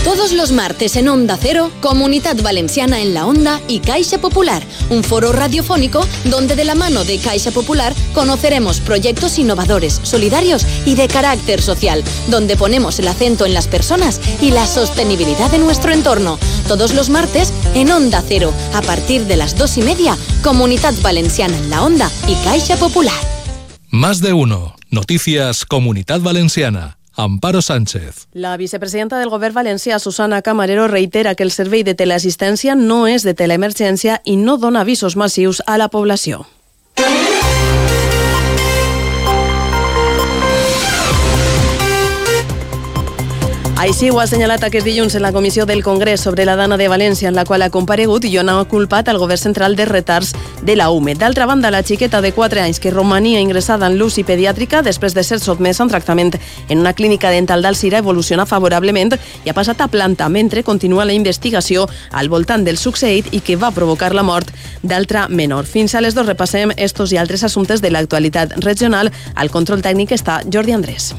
Todos los martes en Onda Cero, Comunidad Valenciana en la Onda y Caixa Popular, un foro radiofónico donde de la mano de Caixa Popular conoceremos proyectos innovadores, solidarios y de carácter social, donde ponemos el acento en las personas y la sostenibilidad de nuestro entorno. Todos los martes en Onda Cero, a partir de las 2:30, Comunidad Valenciana en la Onda y Caixa Popular. Más de uno. Noticias Comunidad Valenciana. Amparo Sánchez. La vicepresidenta del Govern valencià, Susana Camarero, reitera que el servei de teleassistència no és de teleemergència i no dona avisos massius a la població. Així ho ha assenyalat aquest dilluns en la comissió del Congrés sobre la Dana de València, en la qual ha comparegut i on ha culpat al govern central de retards de la UME. D'altra banda, la xiqueta de 4 anys que romania ingressada en l'UCI pediàtrica després de ser sotmesa a un tractament en una clínica dental d'Alzira evoluciona favorablement i ha passat a planta, mentre continua la investigació al voltant del succeït i que va provocar la mort d'altra menor. Fins a les 2 repassem estos i altres assumptes de l'actualitat regional. Al control tècnic està Jordi Andrés.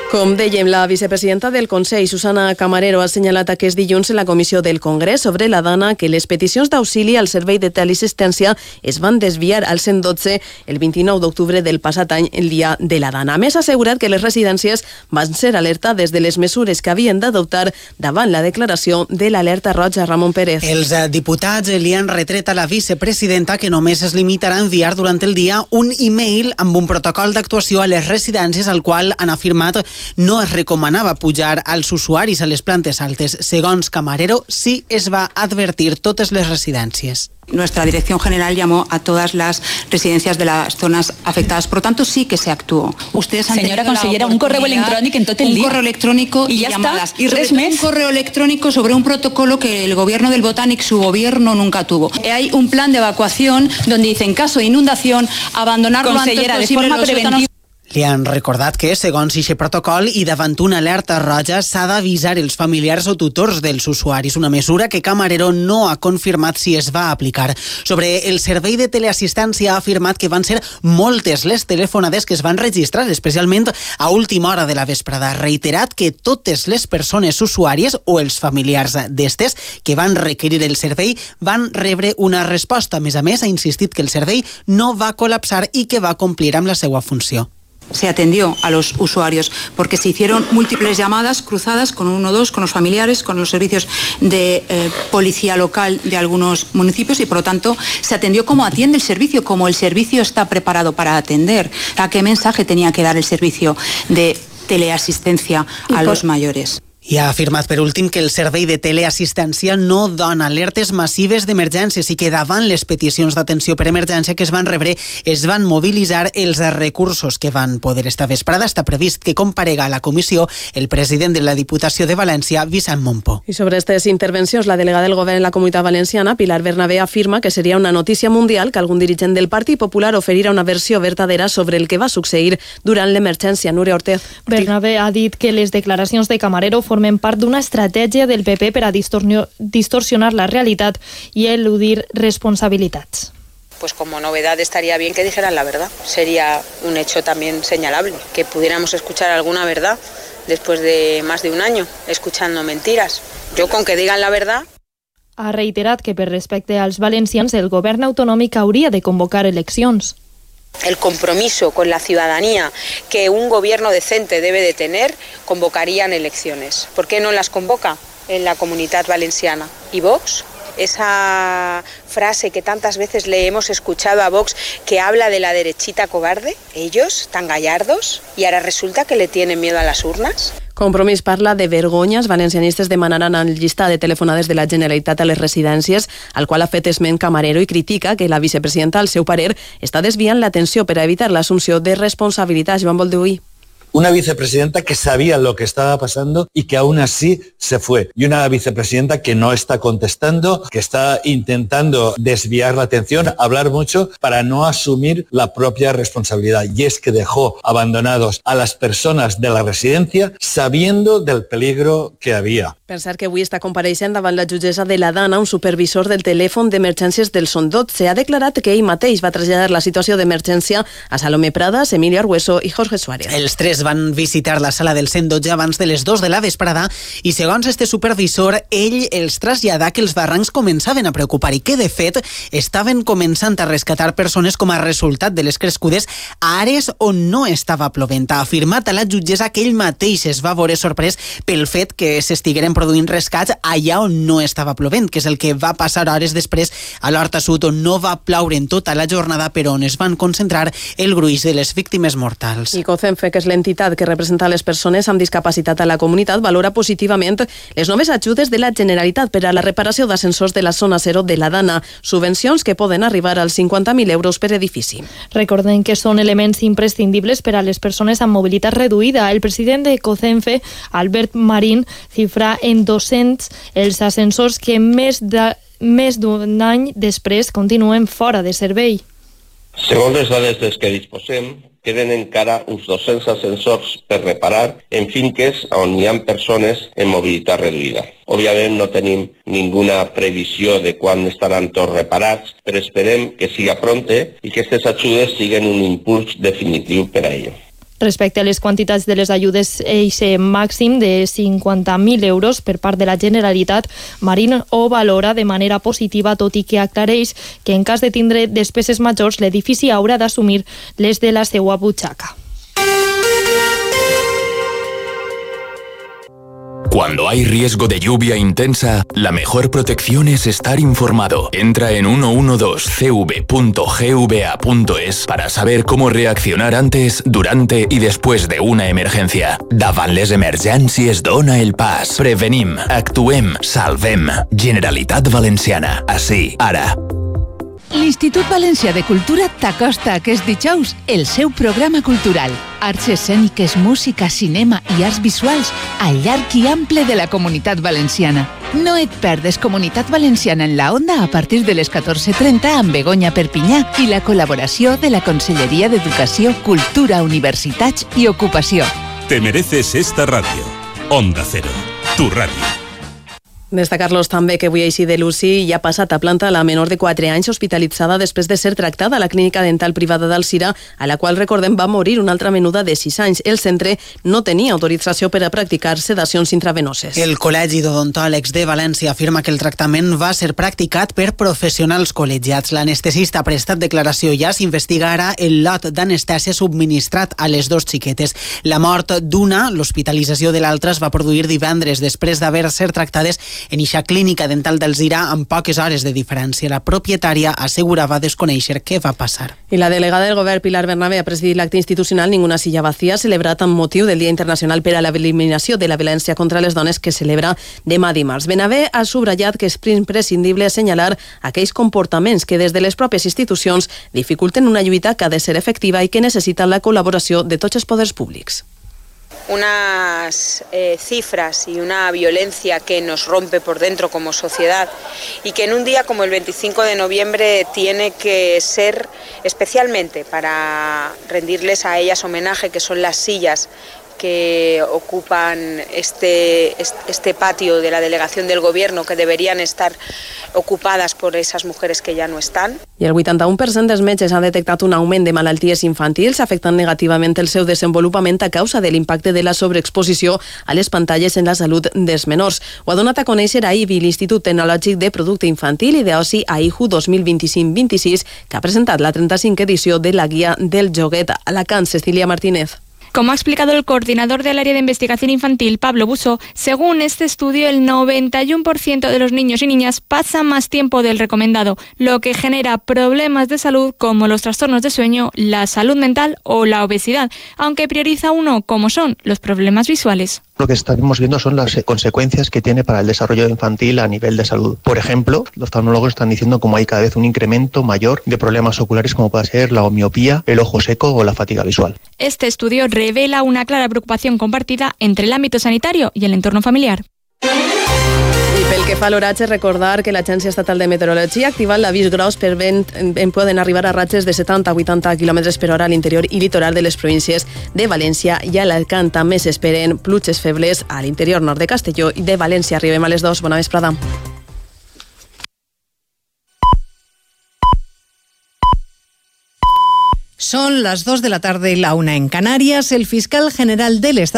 Com dèiem, la vicepresidenta del Consell, Susana Camarero, ha assenyalat aquest dilluns en la comissió del Congrés sobre la Dana que les peticions d'auxili al servei de teleassistència es van desviar al 112 el 29 d'octubre del passat any, el dia de la Dana. A més, ha assegurat que les residències van ser alertades de les mesures que havien d'adoptar davant la declaració de l'alerta roja. Ramon Pérez. Els diputats li han retret a la vicepresidenta que només es limitarà a enviar durant el dia un e-mail amb un protocol d'actuació a les residències al qual han afirmat no es recomanava pujar als usuaris a les plantes altes. Segons Camarero, sí es va advertir totes les residències. Nuestra Dirección General llamó a todas las residencias de las zonas afectadas. Por lo tanto, sí que se actuó. Ustedes han Senyora consellera, un correu electrònic en tot el dia. Un correo electrónico y llamadas. I res més. Un correo electrónico sobre un protocolo que el gobierno del Botánic, su gobierno, nunca tuvo. Hay un plan de evacuación donde dice, en caso de inundación, abandonar lo antes posible los sótanos. Li han recordat que, segons aquest protocol i davant una alerta roja, s'ha d'avisar els familiars o tutors dels usuaris, una mesura que Camarero no ha confirmat si es va aplicar. Sobre el servei de teleassistència ha afirmat que van ser moltes les telefonades que es van registrar, especialment a última hora de la vesprada. Ha reiterat que totes les persones usuàries o els familiars d'estes que van requerir el servei van rebre una resposta. A més, ha insistit que el servei no va col·lapsar i que va complir amb la seva funció. Se atendió a los usuarios porque se hicieron múltiples llamadas cruzadas con 112, con los familiares, con los servicios de policía local de algunos municipios y por lo tanto se atendió como atiende el servicio, como el servicio está preparado para atender. ¿A qué mensaje tenía que dar el servicio de teleasistencia a los mayores? I ha afirmat per últim que el servei de teleassistència no dona alertes massives d'emergències i que davant les peticions d'atenció per emergència que es van rebre es van mobilitzar els recursos que van poder. Esta vesprada està previst que comparega a la comissió el president de la Diputació de València, Vicent Mompó. I sobre aquestes intervencions, la delegada del govern en la Comunitat Valenciana, Pilar Bernabé, afirma que seria una notícia mundial que algun dirigent del Partit Popular oferirà una versió verdadera sobre el que va succeir durant l'emergència. Núria Ortez. Bernabé ha dit que les declaracions de Camarero formen part d'una estratègia del PP per a distorsionar la realitat i eludir responsabilitats. Pues como novedad estaría bien que dijeran la verdad. Sería un hecho también señalable, que pudiéramos escuchar alguna verdad después de más de un año escuchando mentiras. Yo con que digan la verdad. Ha reiterat que per respecte als valencians el govern autonòmic hauria de convocar eleccions. El compromiso con la ciudadanía que un gobierno decente debe de tener, convocarían elecciones. ¿Por qué no las convoca en la Comunitat Valenciana? ¿Y Vox? Esa frase que tantas veces le hemos escuchado a Vox que habla de la derechita cobarde, ellos tan gallardos, y ahora resulta que le tienen miedo a las urnas. Compromís parla de vergonya. Els valencianistes demanaran el llistat de telefonades de la Generalitat a les residències, al qual ha fet esment Camarero i critica que la vicepresidenta, al seu parer, està desviant l'atenció per a evitar l'assumpció de responsabilitats. Joan Bolduí. Una vicepresidenta que sabía lo que estaba pasando y que aún así se fue. Y una vicepresidenta que no está contestando, que está intentando desviar la atención, hablar mucho para no asumir la propia responsabilidad. Y es que dejó abandonados a las personas de la residencia sabiendo del peligro que había. Pensar que avui està compareixent davant la jutgessa de la Dana un supervisor del telèfon d'emergències del 112. Ha declarat que ell mateix va traslladar la situació d'emergència a Salomé Pradas, Emilio Argueso i Jorge Suárez. Els tres van visitar la sala del 112 abans de les 2 de la vesprada i, segons este supervisor, ell els traslladà que els barrancs començaven a preocupar i que, de fet, estaven començant a rescatar persones com a resultat de les crescudes a àrees on no estava plovent. Ha afirmat a la jutgessa que ell mateix es va veure sorprès pel fet que s'estigueren produint rescats allà on no estava plovent, que és el que va passar hores després a l'Horta Sud, on no va ploure en tota la jornada, però on es van concentrar el gruix de les víctimes mortals. I COCENFE, que és l'entitat que representa les persones amb discapacitat a la comunitat, valora positivament les noves ajudes de la Generalitat per a la reparació d'ascensors de la zona 0 de la Dana, subvencions que poden arribar als 50.000 euros per edifici. Recordem que són elements imprescindibles per a les persones amb mobilitat reduïda. El president de COCENFE, Albert Marín, xifra en 200 els ascensors que més d'un any després continuen fora de servei. Segons les dades dels que disposem, queden encara uns 200 ascensors per reparar en finques on hi ha persones en mobilitat reduïda. Òbviament no tenim ninguna previsió de quan estaran tots reparats, però esperem que siga pronte i que aquestes ajudes siguin un impuls definitiu per a ello. Respecte a les quantitats de les ajudes, eixe màxim de 50.000 euros per part de la Generalitat, Marín ho valora de manera positiva, tot i que aclareix que en cas de tindre despeses majors, l'edifici haurà d'assumir les de la seua butxaca. Cuando hay riesgo de lluvia intensa, la mejor protección es estar informado. Entra en 112cv.gva.es para saber cómo reaccionar antes, durante y después de una emergencia. Davant les emergències dona el pas. Prevenim, actuem, salvem. Generalitat Valenciana. Ací, ara. L'Institut Valencià de Cultura t'acosta aquest dijous el seu programa cultural. Arts escèniques, música, cinema i arts visuals al llarg i ample de la Comunitat Valenciana. No et perdes Comunitat Valenciana en la Onda a partir de les 14:30 amb Begoña Perpinyà i la col·laboració de la Conselleria d'Educació, Cultura, Universitats i Ocupació. Te mereces esta radio. Onda Cero, tu radio. Destacar-los també que avui així de Luci ja ha passat a planta la menor de 4 anys hospitalitzada després de ser tractada a la clínica dental privada d'Alzira, a la qual, recordem, va morir una altra menuda de 6 anys. El centre no tenia autorització per a practicar sedacions intravenoses. El Col·legi d'Odontòlegs de València afirma que el tractament va ser practicat per professionals col·legiats. L'anestesista ha prestat declaració i ja s'investiga ara el lot d'anestèsia subministrat a les 2 xiquetes. La mort d'una, l'hospitalització de l'altra, es va produir divendres després d'haver-se tractades en eixa clínica dental d'Alzira amb poques hores de diferència. La propietària assegurava desconèixer què va passar. I la delegada del govern, Pilar Bernabé, ha presidit l'acte institucional Ninguna silla vacía, celebrat amb motiu del Dia Internacional per a l'Eliminació de la Violència contra les Dones, que celebra demà dimarts. Bernabé ha subratllat que és imprescindible assenyalar aquells comportaments que des de les pròpies institucions dificulten una lluita que ha de ser efectiva i que necessita la col·laboració de tots els poders públics. Unas cifras y una violencia que nos rompe por dentro como sociedad y que en un día como el 25 de noviembre tiene que ser especialmente para rendirles a ellas homenaje, que son las sillas que ocupan este patio de la delegación del gobierno, que deberían estar ocupadas por esas mujeres que ya no están. I el 81% dels metges han detectat un augment de malalties infantils afectant negativament el seu desenvolupament a causa de l'impacte de la sobreexposició a les pantalles en la salut dels menors. Ho ha donat a conèixer a IBI, l'Institut Tecnològic de Producte Infantil i d'Oci AIJU 2025-26, que ha presentat la 35 edició de la Guia del Joguet a Alacant. Cecilia Martínez. Como ha explicado el coordinador del área de investigación infantil, Pablo Buso, según este estudio, el 91% de los niños y niñas pasa más tiempo del recomendado, lo que genera problemas de salud como los trastornos de sueño, la salud mental o la obesidad, aunque prioriza uno, como son los problemas visuales. Lo que estamos viendo son las consecuencias que tiene para el desarrollo infantil a nivel de salud. Por ejemplo, los oftalmólogos están diciendo como hay cada vez un incremento mayor de problemas oculares como puede ser la miopía, el ojo seco o la fatiga visual. Este estudio revela una clara preocupación compartida entre el ámbito sanitario y el entorno familiar. I pel que fa a l'oratge, recordar que l'Agència Estatal de Meteorologia ha activat l'avís gros per vent, poden arribar a ratxes de 70-80 km per hora a l'interior i litoral de les províncies de València i Alacant. També s'esperen pluges febles a l'interior nord de Castelló i de València. Arribem a les 2. Bona vesprada. Son las 2 de la tarde y la 1 en Canarias. El fiscal general del Estado